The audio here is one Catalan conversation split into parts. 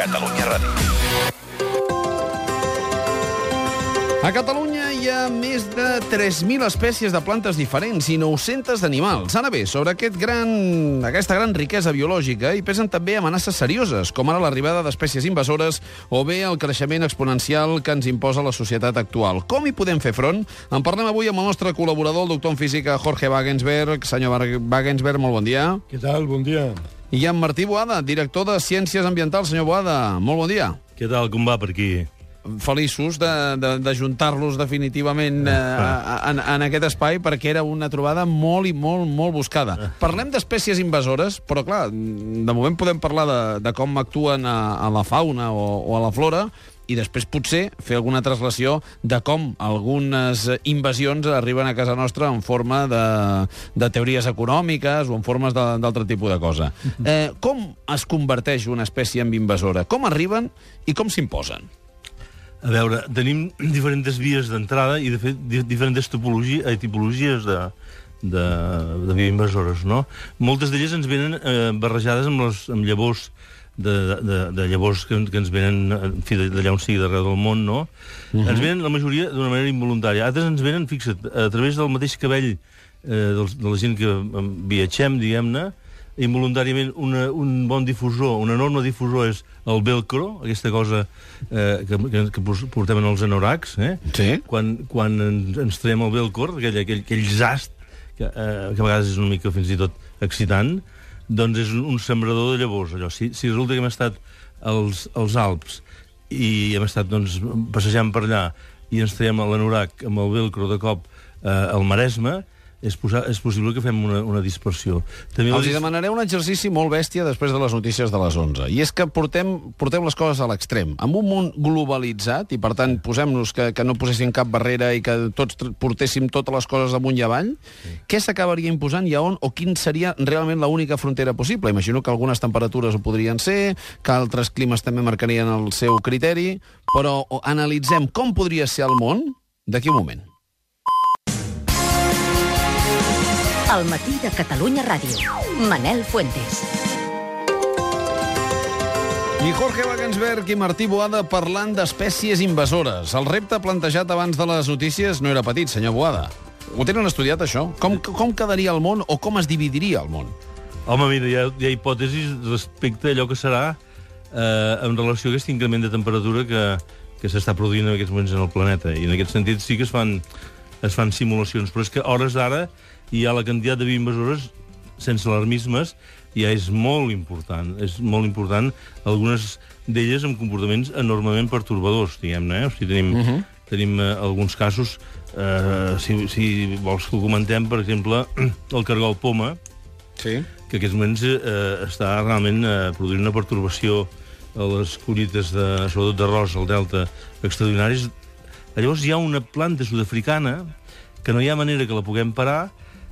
Catalunya Ràdio. A Catalunya hi ha més de 3.000 espècies de plantes diferents i 900 d'animals. Ara bé, sobre aquesta gran riquesa biològica hi pesen també amenaces serioses, com ara l'arribada d'espècies invasores o bé el creixement exponencial que ens imposa la societat actual. Com hi podem fer front? En parlem avui amb el nostre col·laborador, el doctor en física Jorge Wagensberg. Senyor Wagensberg, molt bon dia. Què tal? Bon dia. I en Martí Boada, director de Ciències Ambientals. Senyor Boada, molt bon dia. Què tal? Com va per aquí? Feliços d'ajuntar-los definitivament en aquest espai, perquè era una trobada molt buscada. Parlem d'espècies invasores, però clar, de moment podem parlar de com actuen a la fauna o a la flora, i després potser fer alguna translació de com algunes invasions arriben a casa nostra en forma de teories econòmiques o en formes d'altre tipus de cosa. Com es converteix una espècie en invasora? Com arriben i com s'imposen? A veure, tenim diferents vies d'entrada i, de fet, diferents tipologies de bioinvasores, no? Moltes d'elles ens venen barrejades amb llavors de llavors que ens venen, en fi, d'allà on sigui, d'arreu del món, no? Ens venen, la majoria, d'una manera involuntària. Altres ens venen, fixa't, a través del mateix cabell de la gent que viatgem, diguem-ne, involuntàriament un bon difusor, un enorme difusor és el velcro, aquesta cosa que portem en els anoraks, Sí. Quan ens traiem el velcro, aquell zast, que a vegades és una mica fins i tot excitant, doncs és un sembrador de llavors, allò. Si resulta que hem estat als Alps i hem estat passejant per allà i ens traiem l'anorac amb el velcro de cop al Maresme, és possible que fem una dispersió. Els demanaré un exercici molt bèstia després de les notícies de les 11. I és que portem les coses a l'extrem. En un món globalitzat, i per tant posem-nos que no posessin cap barrera i que tots portéssim totes les coses amunt i avall, què s'acabaria imposant i a on, o quin seria realment l'única frontera possible? Imagino que algunes temperatures ho podrien ser, que altres climes també marcarien el seu criteri, però analitzem com podria ser el món d'aquí un moment. Al matí de Catalunya Ràdio. Manel Fuentes. I Jorge Wagensberg i Martí Boada parlant d'espècies invasores. El repte plantejat abans de les notícies no era petit, senyor Boada. Ho tenen estudiat, això? Com quedaria el món o com es dividiria el món? Home, mira, hi ha hipòtesis respecte a allò que serà en relació a aquest increment de temperatura que s'està produint en aquests moments en el planeta. I en aquest sentit sí que es fan simulacions, però és que a hores d'ara hi ha la quantitat de bioinvasores sense alarmismes, ja és molt important. És molt important, algunes d'elles amb comportaments enormement pertorbadors, diguem-ne. O sigui, tenim alguns casos, si vols que ho comentem, per exemple, el cargol poma, Sí. que en aquests moments està realment produint una pertorbació a les collites, sobretot d'arròs, al delta, extraordinaris. Llavors hi ha una planta sud-africana que no hi ha manera que la puguem parar,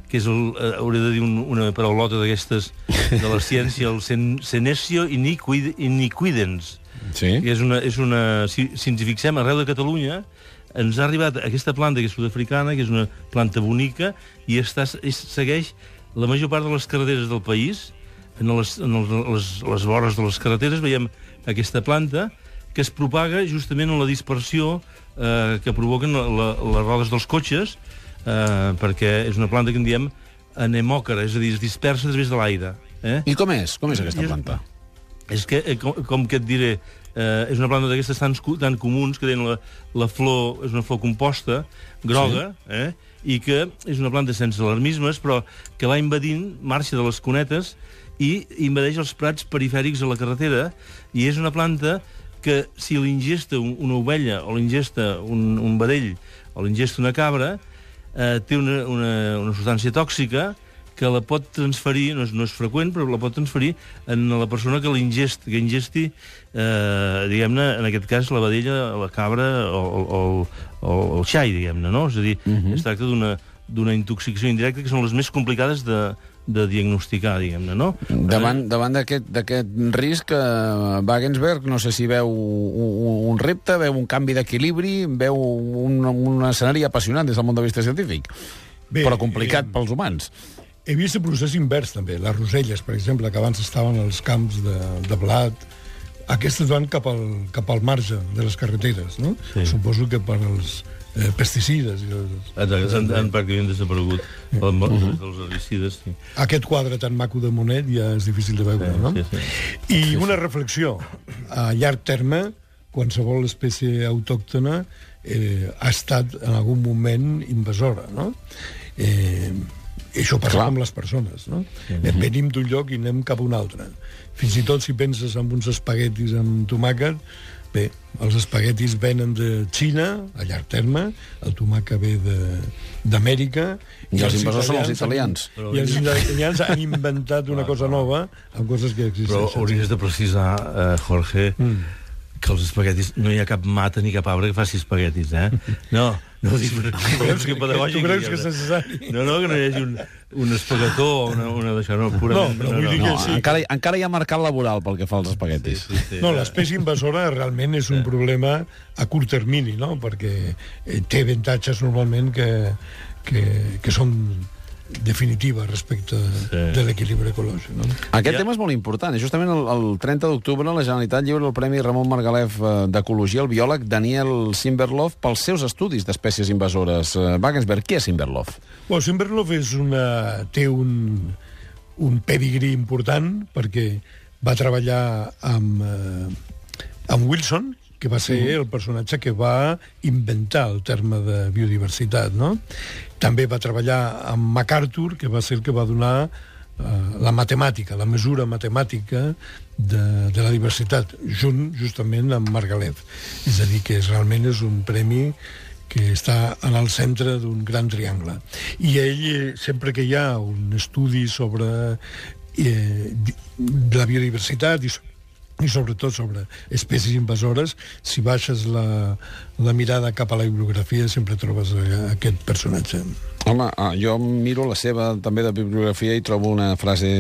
que és, hauré de dir una paraulota d'aquestes de la ciència, el Senecio iniquidens. Sí. Que és una... Si ens hi fixem, arreu de Catalunya, ens ha arribat aquesta planta que és sud-africana, que és una planta bonica, i segueix la major part de les carreteres del país. En les vores de les carreteres veiem aquesta planta que es propaga justament en la dispersió que provoquen les rodes dels cotxes, perquè és una planta que en diem anemòcara, és a dir, es dispersa a través de l'aire. I com és? Com és aquesta planta? És que, com que et diré, és una planta d'aquestes tan comuns que tenen la flor, és una flor composta, groga, i que és una planta sense alarmismes, però que va invadint, marxa de les cunetes i invadeix els prats perifèrics a la carretera, i és una planta que si l'ingesta una ovella o l'ingesta un vedell o l'ingesta una cabra, té una substància tòxica que la pot transferir, no és freqüent, però la pot transferir en la persona que ingesti, diguem-ne, en aquest cas, la vedella, la cabra o el xai, diguem-ne, no? És a dir, es tracta d'una intoxicació indirecta que són les més complicades de diagnosticar, diguem-ne, no? Davant d'aquest risc, Wagensberg, no sé si veu un repte, veu un canvi d'equilibri, veu un escenari apassionant des del punt de vista científic, però complicat pels humans. He vist el procés invers, també. Les roselles, per exemple, que abans estaven als camps de blat, Aquestes van cap al marge de les carreteres, no? Sí. Suposo que per als pesticides. Han pràcticament desaparegut dels herbicides. Sí. Aquest quadre tan maco de Monet ja és difícil de veure, no? Sí. I una reflexió. A llarg terme, qualsevol espècie autòctona ha estat en algun moment invasora, no? I això passa amb les persones, no? Venim d'un lloc i anem cap a un altre. Fins i tot si penses en uns espaguetis amb tomàquet, bé, els espaguetis venen de Xina, a llarg terme, el tomàquet ve d'Amèrica... I els invasors són els italians. I els italians han inventat una cosa nova amb coses que existeixen. Però hauries de precisar, Jorge, que els espaguetis... No hi ha cap mata ni cap arbre que faci espaguetis, eh? No dic... Tu creus que és necessari? No, que no hi hagi un espaguetó o una d'això, no, purament... No, però vull dir que sí. Encara hi ha mercat laboral pel que fa als espaguetis. Sí. No, l'espècie invasora realment és un problema a curt termini, no? Perquè té avantatges normalment que són definitiva respecte de l'equilibri ecològic, no? Aquest tema és molt important. Justament el 30 d'octubre la Generalitat lliura el Premi Ramon Margalef d'Ecologia al biòleg Daniel Simberloff pels seus estudis d'espècies invasores. Wagensberg, qui és Simberloff? Simberloff té un pedigrí important perquè va treballar amb Wilson, que va ser el personatge que va inventar el terme de biodiversitat, no? També va treballar amb MacArthur, que va ser el que va donar la matemàtica, la mesura matemàtica de la diversitat, justament amb Margalef. És a dir, que realment és un premi que està en el centre d'un gran triangle. I ell, sempre que hi ha un estudi sobre la biodiversitat i sobretot sobre espècies invasores, si baixes la mirada cap a la bibliografia sempre trobes aquest personatge. Home, jo miro la seva també de bibliografia i trobo una frase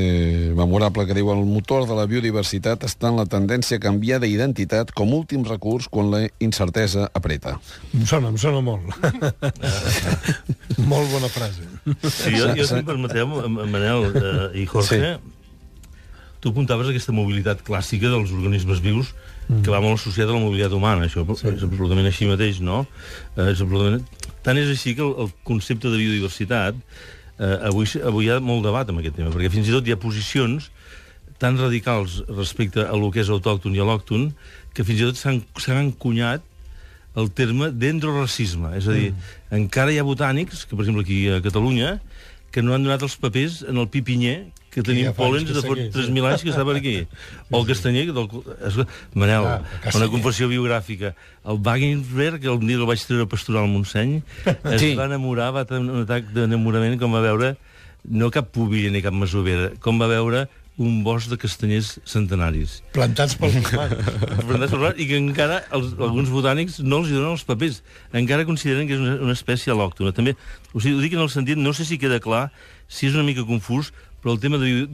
memorable que diu: el motor de la biodiversitat està en la tendència a canviar d'identitat com últim recurs quan la incertesa apreta. Em sona molt. Molt bona frase. Sí, jo si em permeteu, Manel i Jorge, tu apuntaves aquesta mobilitat clàssica dels organismes vius que va molt associada a la mobilitat humana. Això és absolutament així mateix, no? Tant és així que el concepte de biodiversitat avui hi ha molt debat amb aquest tema, perquè fins i tot hi ha posicions tan radicals respecte a lo que és autòcton i al·lòcton que fins i tot s'han encunyat el terme dendroracisme. És a dir, encara hi ha botànics, que per exemple aquí a Catalunya, que no han donat els papers en el pipinyer que tenim pòlens de 3.000 anys que està per aquí. O el castanyer... Manel, una confessió biogràfica. El Wagensberg, el dia que el vaig treure a pasturar al Montseny, es va enamorar, va tenir un atac d'enamorament com va veure, no cap pubilla ni cap masovera, com va veure un bosc de castanyers centenaris. Plantats pels humans. I que encara alguns botànics no els donen els papers. Encara consideren que és una espècie al·lòctona. També, ho dic en el sentit, no sé si queda clar, si és una mica confús, però el tema de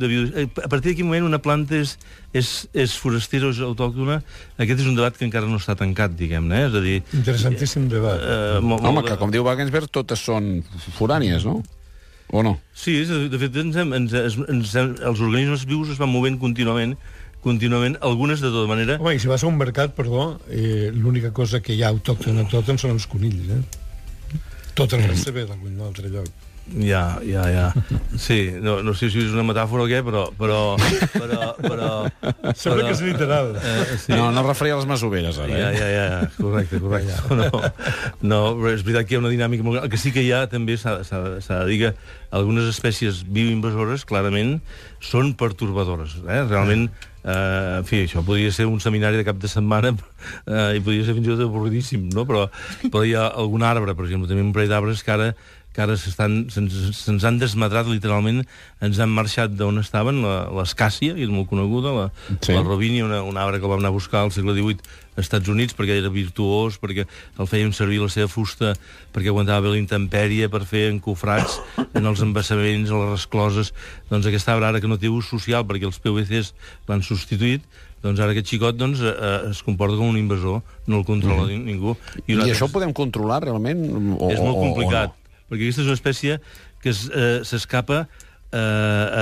a partir d'aquí moment una planta és forastera o és autòctona, aquest és un debat que encara no està tancat, diguem-ne. És a dir... Interessantíssim debat. Home, que com diu Wagensberg, totes són forànies, no? O no? Sí, de fet, els organismes vius es van movent contínuament, algunes de tota manera... Home, i si vas a un mercat, l'única cosa que hi ha autòctona són els conills, Tot el reste ve d'algun altre lloc. Ja. Sí, no sé si és una metàfora o què, però... Sembla que és literal. Sí. No referia a les masoveres, ara. Ja. Correcte. No, però és veritat que hi ha una dinàmica molt... El que sí que hi ha, també, s'ha de dir que algunes espècies bioinvasores, clarament, són pertorbadores. Realment, en fi, això podria ser un seminari de cap de setmana i podria ser fins i tot avorridíssim, no? Però hi ha algun arbre, per exemple, també un parell d'arbres que ara se'ns han desmadrat literalment, ens han marxat d'on estaven, l'escàcia, que és molt coneguda, la robínia, un arbre que el vam anar a buscar al segle XVIII als Estats Units perquè era virtuós, perquè el feien servir la seva fusta perquè aguantava bé la intempèrie, per fer encofrats en els embassaments, a les rescloses. Doncs aquest arbre, ara que no té ús social perquè els PVCs l'han substituït, doncs ara aquest xicot es comporta com un invasor, no el controla ningú. I això ho podem controlar realment? És molt complicat, perquè aquesta és una espècie que s'escapa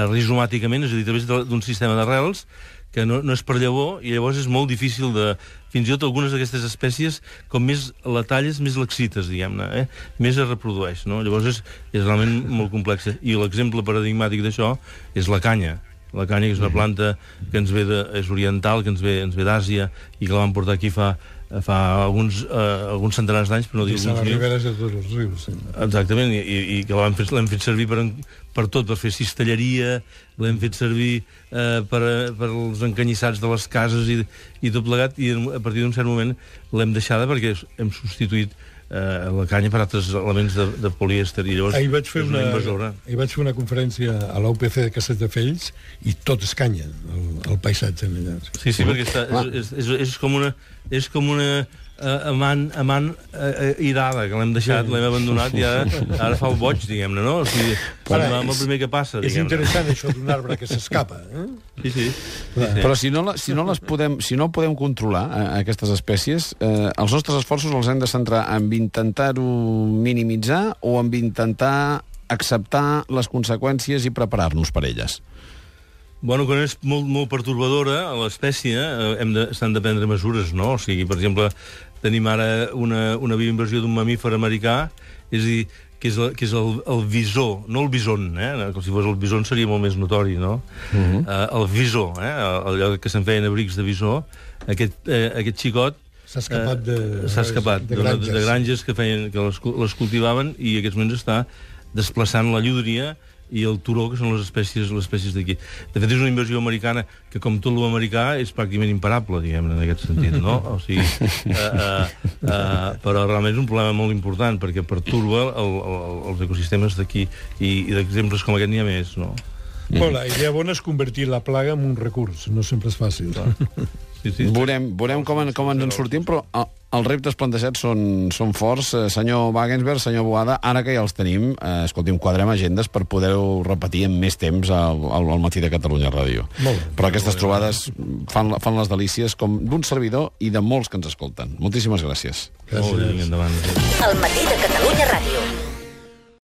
rizomàticament, és a dir, a través d'un sistema d'arrels que no és per llavor, i llavors és molt difícil de... Fins i tot algunes d'aquestes espècies, com més la talles, més l'excites, diguem-ne, més es reprodueix, no? Llavors és realment molt complexa. I l'exemple paradigmàtic d'això és la canya. La canya, que és una planta que ens ve és oriental, que ens ve d'Àsia, i que la van portar aquí fa alguns centenars d'anys, però no dic alguns mil. I a les riberes de tots els rius. Sí. Exactament, i que l'hem fet servir per tot, per fer cistelleria, l'hem fet servir per els encanyissats de les cases i tot plegat, i a partir d'un cert moment l'hem deixada perquè hem substituït la canya per altres elements de polièster, i llavors ahir vaig fer és una invasora. Ahir vac fer una conferència a l'UPC de Castelldefels i tot és canya, el paisatge allà. Sí, perquè és com una amant irada, que l'hem deixat, l'hem abandonat i ara fa el boig, diguem-ne, no? O sigui, amb el primer que passa, és interessant això d'un arbre que s'escapa, Sí. Però si no podem controlar aquestes espècies, els nostres esforços els hem de centrar en intentar-ho minimitzar o en intentar acceptar les conseqüències i preparar-nos per elles? Bueno, quan és molt pertorbadora a l'espècie, s'han de prendre mesures, no? O sigui, per exemple, tenim ara una bioinvasió d'un mamífer americà, és a dir, que és el visó, no el bison, com si fos el bison seria molt més notori, no? El visó, allò que se'n feien abrics de visó, aquest xicot s'ha escapat de granges que les cultivaven, i en aquests moments està desplaçant la llúdria i el turó, que són les espècies d'aquí. De fet, és una invasió americana que, com tot l'americà, és pràcticament imparable, diguem-ne, en aquest sentit, no? O sigui, però realment és un problema molt important, perquè perturba els ecosistemes d'aquí, i d'exemples com aquest n'hi ha més, no? Bueno, la idea bona és convertir la plaga en un recurs, no sempre és fàcil. Sí. Veurem com ens en sortim, però els reptes plantejats són forts. Senyor Wagensberg, senyor Boada, ara que ja els tenim, escolti'm, quadrem agendes per poder-ho repetir en més temps al Matí de Catalunya Ràdio. Però aquestes trobades fan les delícies com d'un servidor i de molts que ens escolten. Moltíssimes gràcies. Gràcies. El Matí de Catalunya Ràdio.